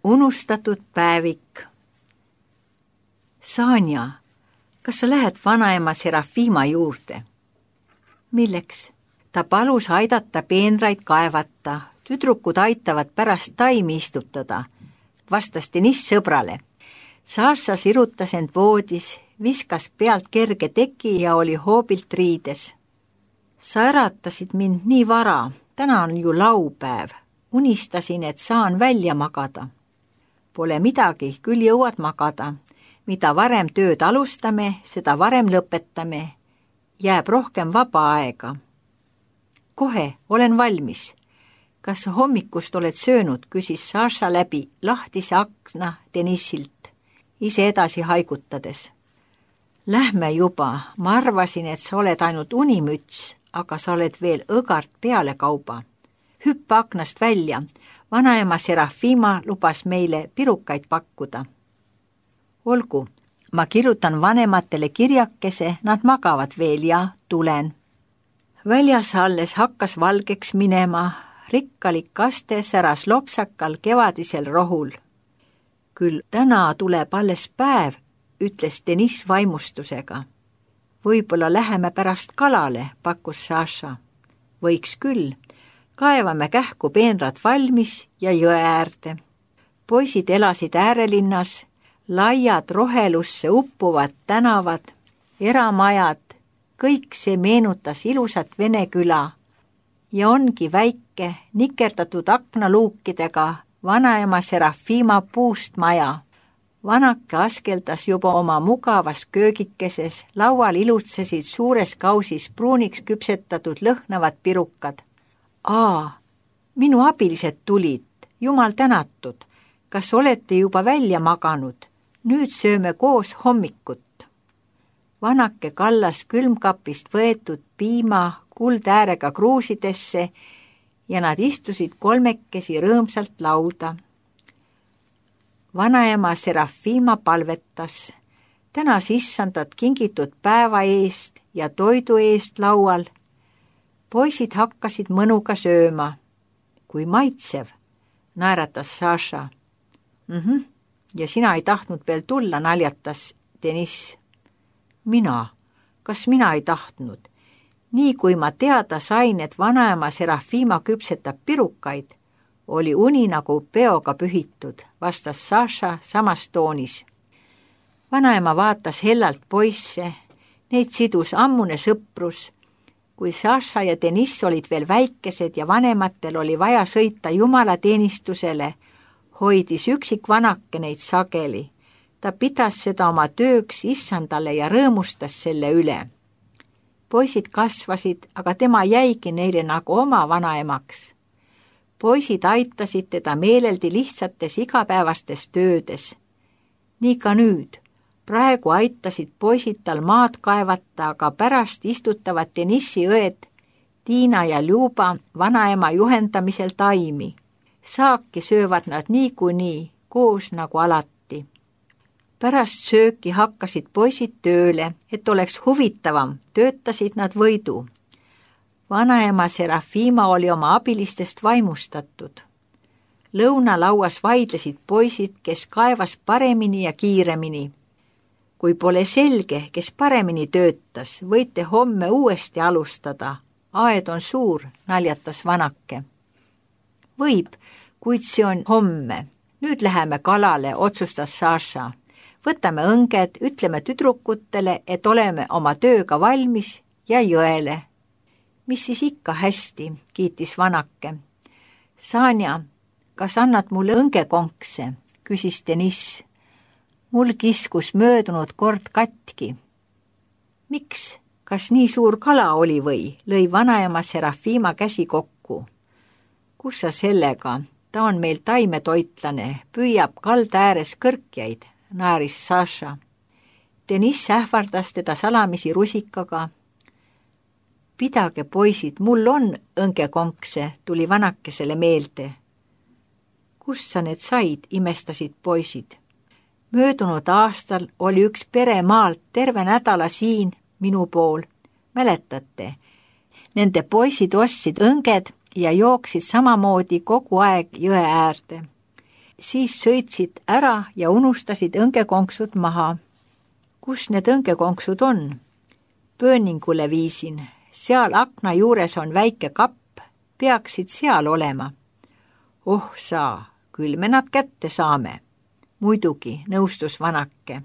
Unustatud päevik. Sanja, kas sa lähed vanaema Serafima juurde? Milleks? Ta palus aidata peenraid kaevata. Tüdrukud aitavad pärast taimi istutada, vastas Deniss sõbrale. Saša sirutas end voodis, viskas pealt kerge teki ja oli hoobilt riides. Sa äratasid mind nii vara, täna on ju laupäev. Unistasin, et saan välja magada. Pole midagi, küll jõuad magada. Mida varem tööd alustame, seda varem lõpetame. Jääb rohkem vaba aega. Kohe, olen valmis. Kas hommikust oled söönud, küsis Saša läbi lahtise akna Denissilt, ise edasi haigutades. Lähme juba, ma arvasin, et sa oled ainult unimüts, aga sa oled veel õgart peale kauba. Hüppa aknast välja, vanaema Serafima lubas meile pirukaid pakkuda. Olgu, ma kirjutan vanematele kirjakese, nad magavad veel ja tulen. Väljas alles hakkas valgeks minema, rikkalik kaste säras lopsakal kevadisel rohul. Küll täna tuleb alles päev, ütles Deniss vaimustusega. Võib-olla läheme pärast kalale, pakkus Saša. Võiks küll, kaevame kähku peenrad valmis ja jõe äärde. Poisid elasid äärelinnas, laiad rohelusse uppuvad tänavad, eramajad, kõik see meenutas ilusat Vene küla ja ongi väike nikerdatud aknaluukidega vanaema Serafima puust maja. Vanake askeldas juba oma mugavas köögikeses, laual ilutsesid suures kausis pruuniks küpsetatud lõhnavad pirukad. Minu abilised tulid, jumal tänatud, kas olete juba välja maganud? Nüüd sööme koos hommikut. Vanake kallas külmkapist võetud piima kuldäärega kruusidesse ja nad istusid kolmekesi rõõmsalt lauda. Vanaema Serafima palvetas, tänas issandat kingitud päeva eest ja toidu eest laual. Poisid hakkasid mõnuga sööma. Kui maitsev, naeratas Saša. Ja sina ei tahtnud veel tulla, naljatas Deniss. Kas mina ei tahtnud? Nii kui ma teada sain, et vanaema Serafima küpsetab pirukaid, oli uni nagu peoga pühitud, vastas Saša samas toonis. Vanaema vaatas hellalt poisse, neid sidus ammune sõprus. Kui Saša ja Deniss olid veel väikesed ja vanematel oli vaja sõita jumalateenistusele, hoidis üksik vanake neid sageli. Ta pidas seda oma tööks issandale ja rõõmustas selle üle. Poisid kasvasid, aga tema jäigi neile nagu oma vanaemaks. Poisid aitasid teda meeleldi lihtsates igapäevastes töödes. Nii ka nüüd. Praegu aitasid poisid tal maad kaevata, aga pärast istutavad Denissi õed Tiina ja Ljuba vanaema juhendamisel taimi. Saaki söövad nad niikuinii, koos nagu alati. Pärast sööki hakkasid poisid tööle, et oleks huvitavam, töötasid nad võidu. Vanaema Serafima oli oma abilistest vaimustatud. Lõunalauas vaidlesid poisid, kes kaevas paremini ja kiiremini. Kui pole selge, kes paremini töötas, võite homme uuesti alustada. Aed on suur, naljatas vanake. Võib, kuid see on homme. Nüüd läheme kalale, otsustas Saša. Võtame õnged, ütleme tüdrukutele, et oleme oma tööga valmis ja jõele. Mis siis ikka hästi, kiitis vanake. Sanja, kas annad mulle õngekonkse, küsis Deniss. Mul kiskus möödunud kord katki. Miks? Kas nii suur kala oli või? Lõi vanaema Serafima käsi kokku. Kus sa sellega? Ta on meil taimetoitlane, püüab kalda ääres kõrkjaid, naaris Saša. Deniss ähvardas teda salamisi rusikaga. Pidage, poisid, mul on õngekonkse, tuli vanakesele meelde. Kus sa need said, imestasid poisid. Möödunud aastal oli üks pere maalt terve nädala siin minu pool. Mäletate? Nende poisid ostsid õnged ja jooksid samamoodi kogu aeg jõe äärde. siis sõitsid ära ja unustasid õngekonksud maha. Kus need õngekonksud on? Pööningule viisin. Seal akna juures on väike kapp, peaksid seal olema. Oh saa, küll me nad kätte saame. Muidugi, nõustus vanake.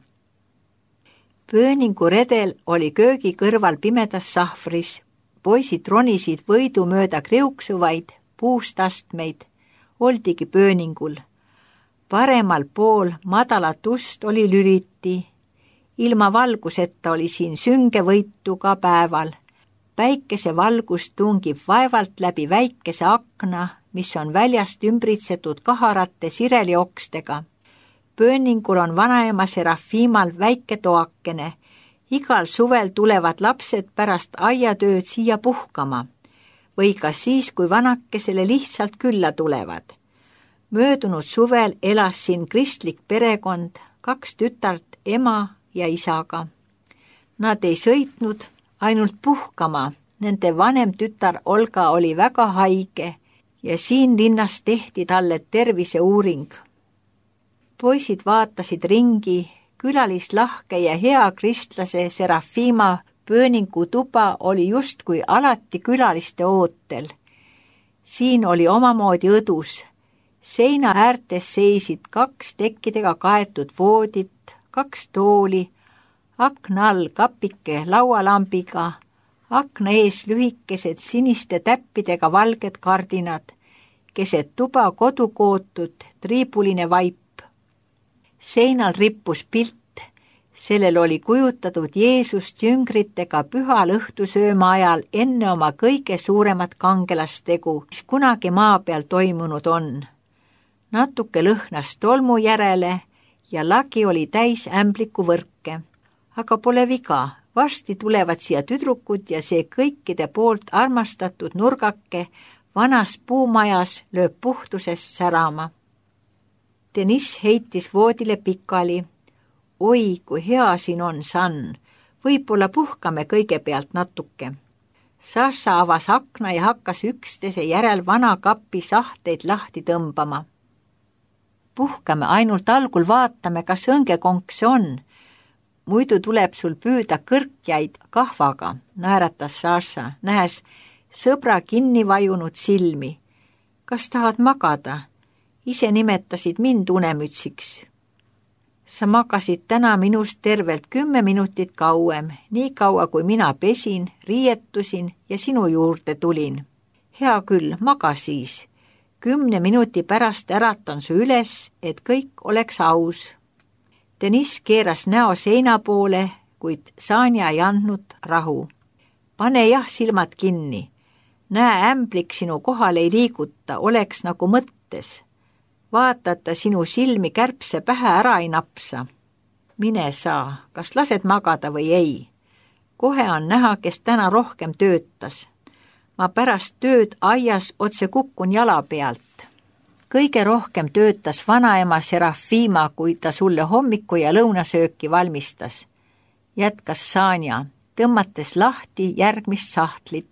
Pööningu redel oli köögi kõrval pimedas sahvris. Poisid ronisid võidu mööda kriuksuvaid puust astmeid. Oldigi pööningul. Paremal pool madalat ust oli lüliti. Ilma valguseta oli siin sünge võitu ka päeval. Päikese valgus tungib vaevalt läbi väikese akna, mis on väljast ümbritsetud kaharate sireliokstega. Pööningul on vanaema Serafimal väike toakene. Igal suvel tulevad lapsed pärast aiatööd siia puhkama või ka siis, kui vanakesele lihtsalt külla tulevad. Möödunud suvel elas siin kristlik perekond, 2 tütart ema ja isaga. Nad ei sõitnud ainult puhkama, nende vanem tütar Olga oli väga haige ja siin linnas tehti talle terviseuuring. Poisid vaatasid ringi, külalislahke ja hea kristlase Serafima pööningu tuba oli justkui alati külaliste ootel. Siin oli omamoodi õdus. Seina äärtes seisid 2 tekkidega kaetud voodit, 2 tooli, akna all kapike laualambiga, akna ees lühikesed siniste täppidega valged kardinad, keset tuba kodukootud triibuline vaip. Seinal rippus pilt, sellel oli kujutatud Jeesust jüngritega pühal õhtusööma ajal enne oma kõige suuremat kangelastegu, mis kunagi maa peal toimunud on. Natuke lõhnas tolmu järele ja lagi oli täis ämbliku võrke. Aga pole viga, varsti tulevad siia tüdrukud ja see kõikide poolt armastatud nurgake vanas puumajas lööb puhtusest särama. Deniss heitis voodile pikali. Oi, kui hea siin on, San. Võib-olla puhkame kõigepealt natuke. Saša avas akna ja hakkas üksteise järel vana kapi sahteid lahti tõmbama. Puhkame, ainult algul vaatame, kas õngekonks on. Muidu tuleb sul püüda kõrkjaid kahvaga, naeratas Saša, nähes sõbra kinni vajunud silmi. Kas tahad magada? Ise nimetasid mind unemütsiks. Sa magasid täna minust tervelt 10 minutit kauem, nii kaua kui mina pesin, riietusin ja sinu juurde tulin. Hea küll, maga siis. 10 minuti pärast äratan su üles, et kõik oleks aus. Deniss keeras näo seina poole, kuid Sanja ei andnud rahu. Pane jah silmad kinni. Näe, ämblik sinu kohal ei liiguta, oleks nagu mõttes. Vaatata sinu silmi kärbse pähe ära ei napsa. Mine saa, kas lased magada või ei? Kohe on näha, kes täna rohkem töötas. Ma pärast tööd aias otse kukkun jala pealt. Kõige rohkem töötas vanaema Serafima, kui ta sulle hommiku ja lõunasööki valmistas. Jätkas Sanja, tõmmates lahti järgmist sahtlit.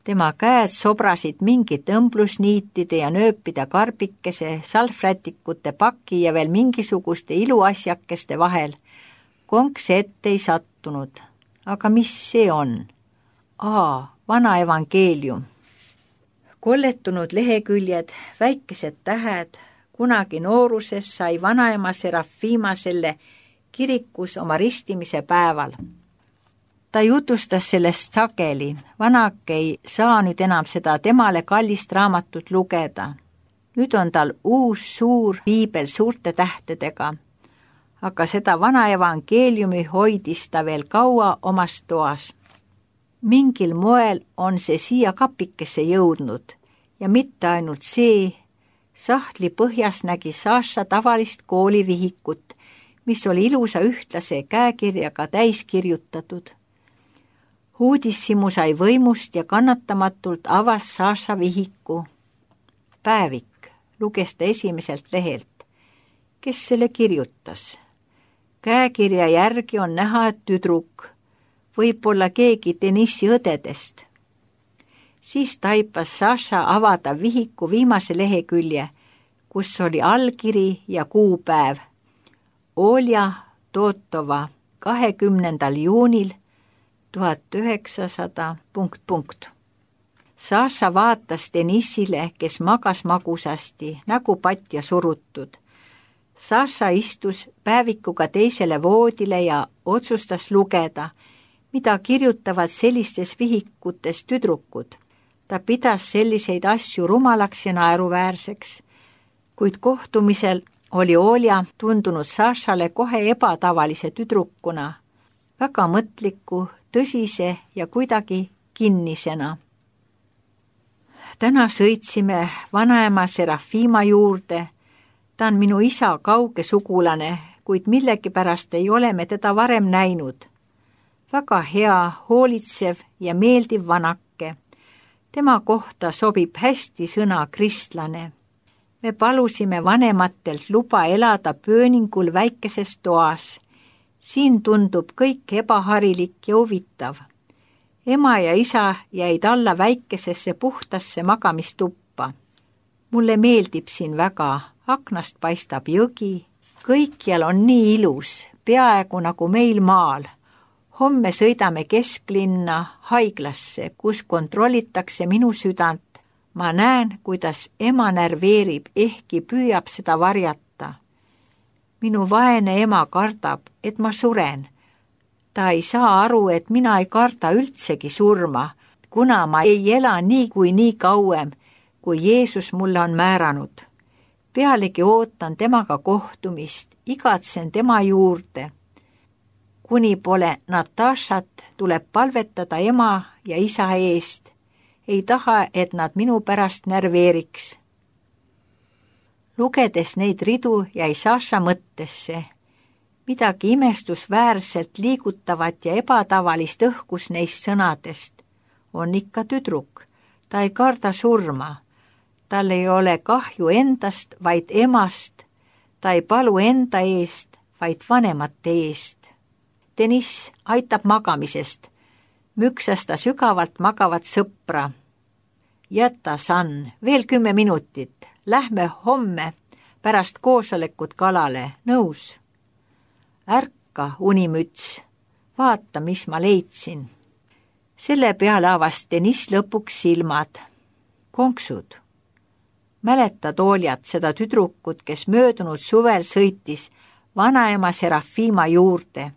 Tema käed sobrasid mingit õmblusniitide ja nööpide karbikese, salvrätikute paki ja veel mingisuguste iluasjakeste vahel. Konks ette ei sattunud. Aga mis see on? Vana evangeelium. Kolletunud leheküljed, väikesed tähed. Kunagi nooruses sai vanaema Serafima selle kirikus oma ristimise päeval. Ta jutustas sellest sageli, vanake ei saa nüüd enam seda temale kallist raamatut lugeda. Nüüd on tal uus suur piibel suurte tähtedega, aga seda vana evangeeliumi hoidis ta veel kaua omas toas. Mingil moel on see siia kapikesse jõudnud ja mitte ainult see, sahtli põhjas nägi Saša tavalist koolivihikut, mis oli ilusa ühtlase käekirjaga täis kirjutatud. Uudishimu sai võimust ja kannatamatult avas Saša vihiku. Päevik, luges ta esimeselt lehelt. Kes selle kirjutas? Käekirja järgi on näha, et tüdruk, võib-olla keegi Denissi õdedest. Siis taipas Saša avada vihiku viimase lehekülje, kus oli allkiri ja kuupäev. Olja Totova 20. juunil 1900 ... Saša vaatas Denissile, kes magas magusasti, nägu patja surutud. Saša istus päevikuga teisele voodile ja otsustas lugeda, mida kirjutavad sellistes vihikutes tüdrukud. Ta pidas selliseid asju rumalaks ja naeruväärseks, kuid kohtumisel oli Olja tundunud Sašale kohe ebatavalise tüdrukuna, väga mõtliku, tõsise ja kuidagi kinnisena. Täna sõitsime vanaema Serafima juurde. Ta on minu isa kauge sugulane, kuid millegipärast ei ole me teda varem näinud. Väga hea, hoolitsev ja meeldiv vanake. Tema kohta sobib hästi sõna kristlane. Me palusime vanematelt luba elada pööningul väikeses toas. Siin tundub kõik ebaharilik ja huvitav. Ema ja isa jäid alla väikesesse puhtasse magamistuppa. Mulle meeldib siin väga, aknast paistab jõgi. Kõikjal on nii ilus, peaaegu nagu meil maal. Homme sõidame kesklinna haiglasse, kus kontrollitakse minu südant. Ma näen, kuidas ema närveerib, ehkki püüab seda varjata. Minu vaene ema kardab, et ma suren. Ta ei saa aru, et mina ei karda üldsegi surma, kuna ma ei ela nii kauem, kui Jeesus mulle on määranud. Pealegi ootan temaga kohtumist, igatsen tema juurde. Kuni pole Natašat, tuleb palvetada ema ja isa eest. Ei taha, et nad minu pärast närveeriks. Lugedes neid ridu jäi Saša mõttesse. Midagi imestusväärselt liigutavat ja ebatavalist õhkus neist sõnadest. On ikka tüdruk. Ta ei karda surma. Tal ei ole kahju endast, vaid emast. Ta ei palu enda eest, vaid vanemate eest. Deniss aitab magamisest. Müksas ta sügavalt magavat sõpra. Jäta, San, veel 10 minutit. Lähme homme pärast koosolekut kalale. Nõus? Ärka, unimüts. Vaata, mis ma leidsin. Selle peale avas Deniss lõpuks silmad. Konksud. Mäletad, Oljat, seda tüdrukut, kes möödunud suvel sõitis vanaema Serafima juurde?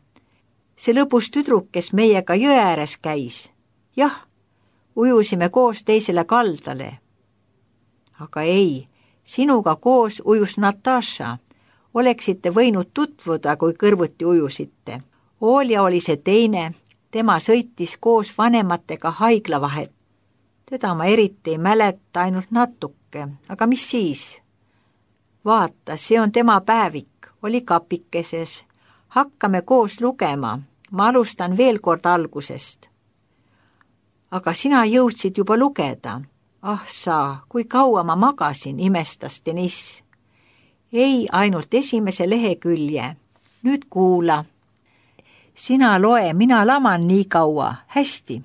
See lõbus tüdruk, kes meiega jõe ääres käis. Jah, ujusime koos teisele kaldale. Aga ei, sinuga koos ujus Nataša. Oleksite võinud tutvuda, kui kõrvuti ujusite. Olja oli see teine, tema sõitis koos vanematega haiglavahet. Teda ma eriti ei mäleta, ainult natuke, aga mis siis? Vaata, see on tema päevik, oli kapikeses. Hakkame koos lugema, ma alustan veel kord algusest. Aga sina jõudsid juba lugeda. Ah sa, kui kaua ma magasin, imestas Deniss. Ei, ainult esimese lehekülje. Nüüd kuula. Sina loe, mina laman nii kaua. Hästi.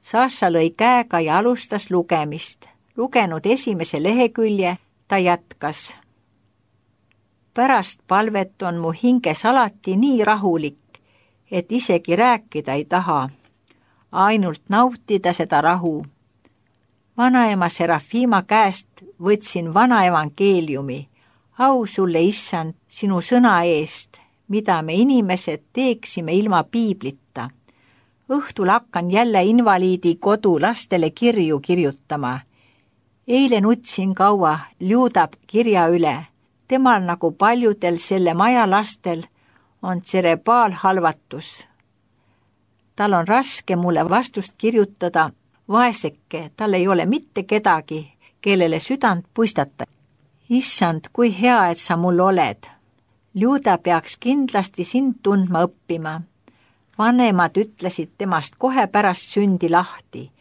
Saša lõi käega ja alustas lugemist. Lugenud esimese lehekülje, ta jätkas. Pärast palvet on mu hinges alati nii rahulik, et isegi rääkida ei taha. Ainult nautida seda rahu. Vanaema Serafima käest võtsin vana evangeeliumi. Au sulle, issand, sinu sõna eest, mida me inimesed teeksime ilma piiblita. Õhtul hakkan jälle invaliidi kodu lastele kirju kirjutama. Eile nutsin kaua, Ljudab kirja üle. Temal nagu paljudel selle maja lastel on tserebaalhalvatus. Tal on raske mulle vastust kirjutada. Vaeseke, tal ei ole mitte kedagi, kellele südant puistata. Issand, kui hea, et sa mul oled. Ljuda peaks kindlasti sind tundma õppima. Vanemad ütlesid temast kohe pärast sündi lahti.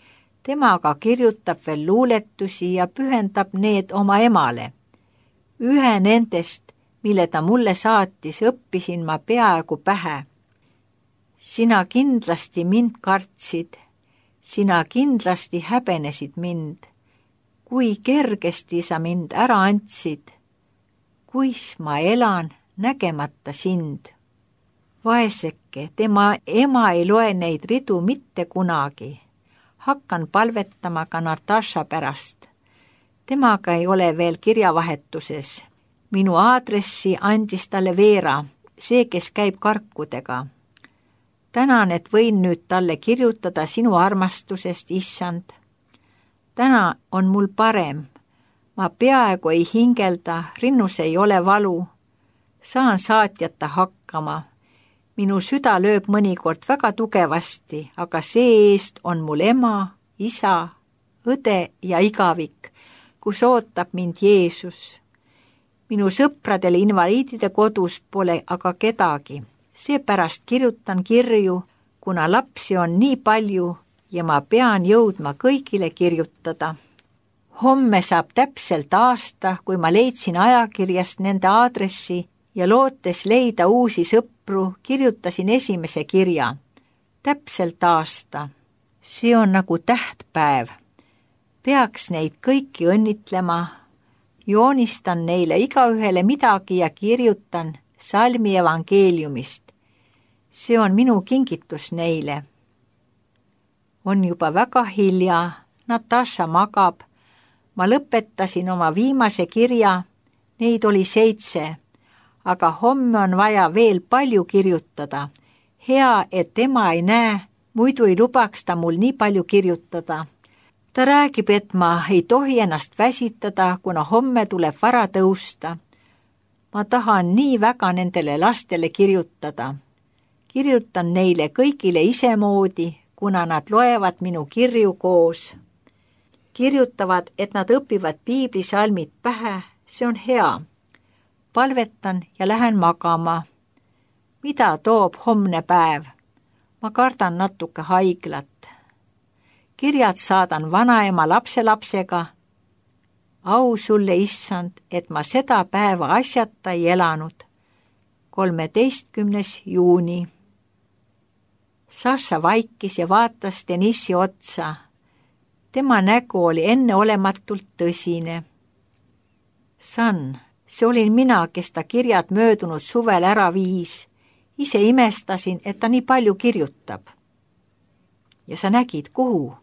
Tema aga kirjutab veel luuletusi ja pühendab need oma emale. Ühe nendest, mille ta mulle saatis, õppisin ma peaaegu pähe. Sina kindlasti mind kartsid. Sina kindlasti häbenesid mind. Kui kergesti sa mind ära andsid. kuis ma elan nägemata sind. Vaeseke, tema ema ei loe neid ridu mitte kunagi. Hakkan palvetama ka Natasha pärast. Temaga ei ole veel kirjavahetuses. Minu aadressi andis talle Veera, see, kes käib karkudega. Tänan, et võin nüüd talle kirjutada sinu armastusest, issand. Täna on mul parem. Ma peaaegu ei hingelda, rinnus ei ole valu. Saan saatjata hakkama. Minu süda lööb mõnikord väga tugevasti, aga see-eest on mul ema, isa, õde ja igavik, kus ootab mind Jeesus. Minu sõpradel invaliidide kodus pole aga kedagi. Seepärast kirjutan kirju, kuna lapsi on nii palju ja ma pean jõudma kõigile kirjutada. Homme saab täpselt aasta, kui ma leidsin ajakirjast nende aadressi ja lootes leida uusi sõpru, kirjutasin esimese kirja. Täpselt aasta. See on nagu tähtpäev. Peaks neid kõiki õnnitlema. Joonistan neile igaühele midagi ja kirjutan salmi evangeeliumist. See on minu kingitus neile. On juba väga hilja. Natasha magab. Ma lõpetasin oma viimase kirja. Neid oli 7. Aga homme on vaja veel palju kirjutada. Hea, et tema ei näe, muidu ei lubaks ta mul nii palju kirjutada. Ta räägib, et ma ei tohi ennast väsitada, kuna homme tuleb vara tõusta. Ma tahan nii väga nendele lastele kirjutada. Kirjutan neile kõigile isemoodi, kuna nad loevad minu kirju koos. Kirjutavad, et nad õpivad piiblisalmid pähe, see on hea. Palvetan ja lähen magama. Mida toob homne päev? Ma kardan natuke haiglat. Kirjad saadan vanaema lapselapsega. Au sulle, issand, et ma seda päeva asjata ei elanud. 13. juuni. Saša vaikis ja vaatas Denissi otsa. Tema nägu oli enneolematult tõsine. San, see olin mina, kes ta kirjad möödunud suvel ära viis. Ise imestasin, et ta nii palju kirjutab. Ja sa nägid, kuhu?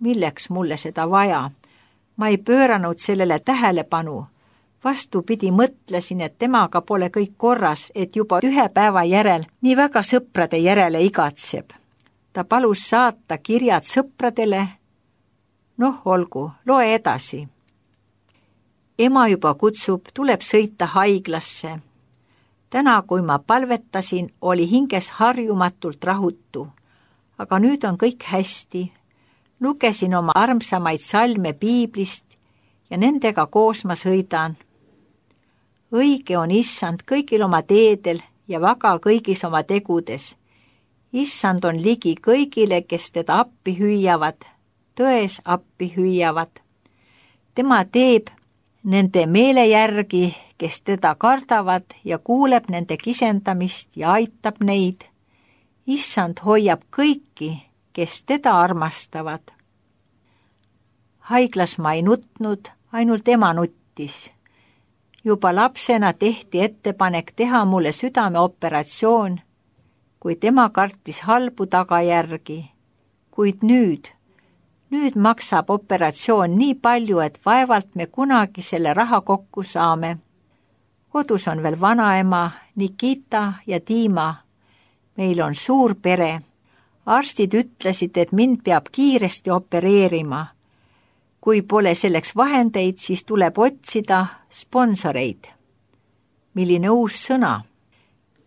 Milleks mulle seda vaja? Ma ei pööranud sellele tähelepanu. Vastupidi mõtlesin, et temaga pole kõik korras, et juba 1 päeva järel nii väga sõprade järele igatseb. Ta palus saata kirjad sõpradele. Noh, olgu, loe edasi. Ema juba kutsub, tuleb sõita haiglasse. Täna, kui ma palvetasin, oli hinges harjumatult rahutu. Aga nüüd on kõik hästi. Lugesin oma armsamaid salme piiblist ja nendega koos ma sõidan. Õige on issand kõigil oma teedel ja vaga kõigis oma tegudes. Issand on ligi kõigile, kes teda appi hüüavad, tões appi hüüavad. Tema teeb nende meele järgi, kes teda kardavad ja kuuleb nende kisendamist ja aitab neid. Issand hoiab kõiki, kes teda armastavad. Haiglas ma ei nutnud, ainult ema nuttis. Juba lapsena tehti ettepanek teha mulle südameoperatsioon, kui tema kartis halbu tagajärgi. Kuid nüüd maksab operatsioon nii palju, et vaevalt me kunagi selle raha kokku saame. Kodus on veel vanaema, Nikita ja Dima. Meil on suur pere. Arstid ütlesid, et mind peab kiiresti opereerima. Kui pole selleks vahendeid, siis tuleb otsida sponsoreid. Milline uus sõna?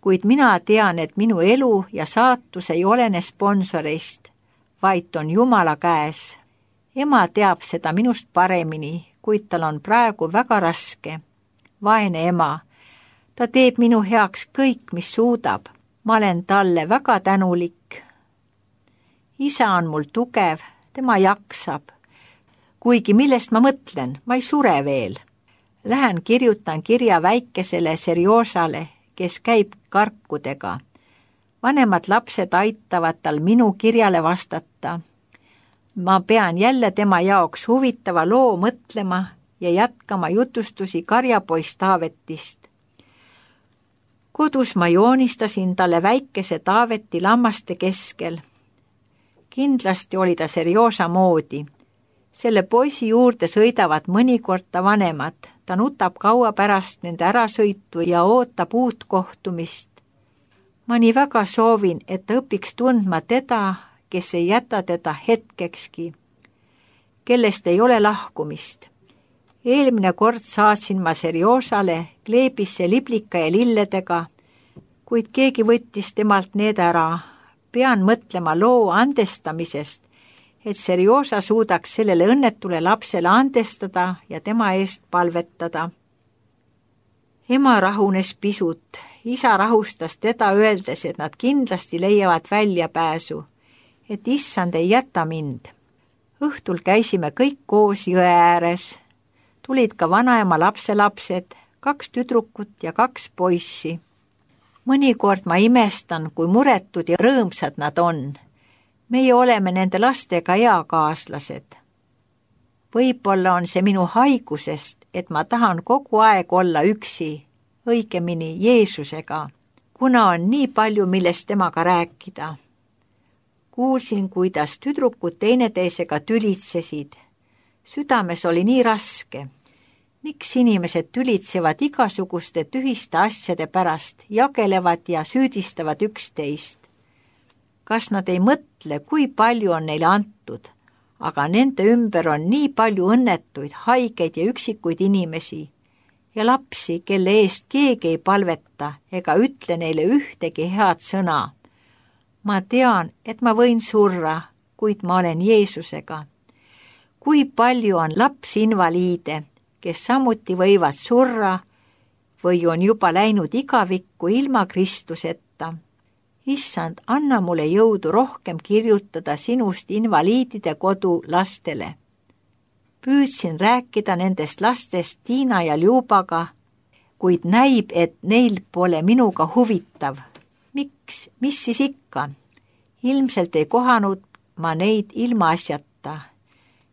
Kuid mina tean, et minu elu ja saatus ei olene sponsoreist, vaid on Jumala käes. Ema teab seda minust paremini, kuid tal on praegu väga raske. Vaene ema. Ta teeb minu heaks kõik, mis suudab. Ma olen talle väga tänulik. Isa on mul tugev, tema jaksab. Kuigi millest ma mõtlen, ma ei sure veel. Lähen kirjutan kirja väikesele Serjosale, kes käib karkudega. Vanemad lapsed aitavad tal minu kirjale vastata. Ma pean jälle tema jaoks huvitava loo mõtlema ja jätkama jutustusi karjapoiss Taavetist. Kodus ma joonistasin talle väikese Taaveti lammaste keskel. Kindlasti oli ta Serjoža moodi. Selle poisi juurde sõidavad mõnikord ta vanemad. Ta nutab kaua pärast nende ärasõitu ja ootab uut kohtumist. Ma nii väga soovin, et ta õpiks tundma teda, kes ei jäta teda hetkekski, kellest ei ole lahkumist. Eelmine kord saatsin ma Serjožale kleebisse liblika ja lilledega, kuid keegi võttis temalt need ära. Pean mõtlema loo andestamisest, et Serjoža suudaks sellele õnnetule lapsele andestada ja tema eest palvetada. Ema rahunes pisut, isa rahustas teda öeldes, et nad kindlasti leiavad väljapääsu, et issand ei jäta mind. Õhtul käisime kõik koos jõe ääres. Tulid ka vanaema lapselapsed, 2 tüdrukut ja 2 poissi. Mõnikord ma imestan, kui muretud ja rõõmsad nad on. Meie oleme nende lastega eakaaslased. Võib-olla on see minu haigusest, et ma tahan kogu aeg olla üksi, õigemini Jeesusega, kuna on nii palju, millest temaga rääkida. Kuulsin, kuidas tüdrukud teineteisega tülitsesid. Südames oli nii raske. Miks inimesed tülitsevad igasuguste tühiste asjade pärast, jagelevad ja süüdistavad üksteist? Kas nad ei mõtle, kui palju on neile antud, aga nende ümber on nii palju õnnetuid, haigeid ja üksikuid inimesi ja lapsi, kelle eest keegi ei palveta ega ütle neile ühtegi head sõna. Ma tean, et ma võin surra, kuid ma olen Jeesusega. Kui palju on lapsinvaliide, kes samuti võivad surra või on juba läinud igavikku ilma Kristuseta. Issand, anna mulle jõudu rohkem kirjutada sinust invaliidide kodu lastele. Püüdsin rääkida nendest lastest Tiina ja Ljubaga, kuid näib, et neil pole minuga huvitav. Miks? Mis siis ikka? Ilmselt ei kohanud ma neid ilmaasjata.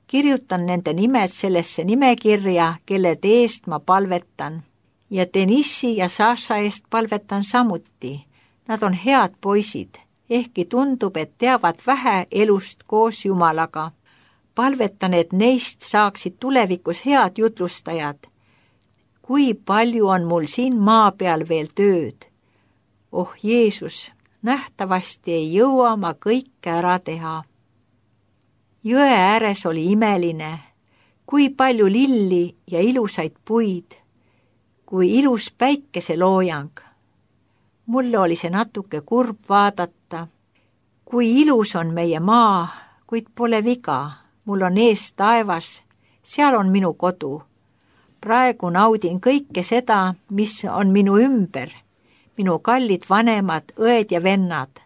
Kirjutan nende nimed sellesse nimekirja, kellede eest ma palvetan. Ja Denissi ja Saša eest palvetan samuti. Nad on head poisid, ehkki tundub, et teavad vähe elust koos Jumalaga. Palvetan, et neist saaksid tulevikus head jutlustajad. Kui palju on mul siin maa peal veel tööd? Oh Jeesus, nähtavasti ei jõua ma kõike ära teha. Jõe ääres oli imeline, kui palju lilli ja ilusaid puid, kui ilus päikeseloojang. Mulle oli see natuke kurb vaadata, kui ilus on meie maa, kuid pole viga. Mul on ees taevas, seal on minu kodu. Praegu naudin kõike seda, mis on minu ümber, minu kallid vanemad, õed ja vennad.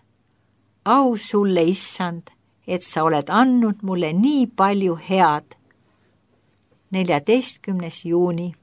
Au sulle, issand, et sa oled andnud mulle nii palju head. 14. juuni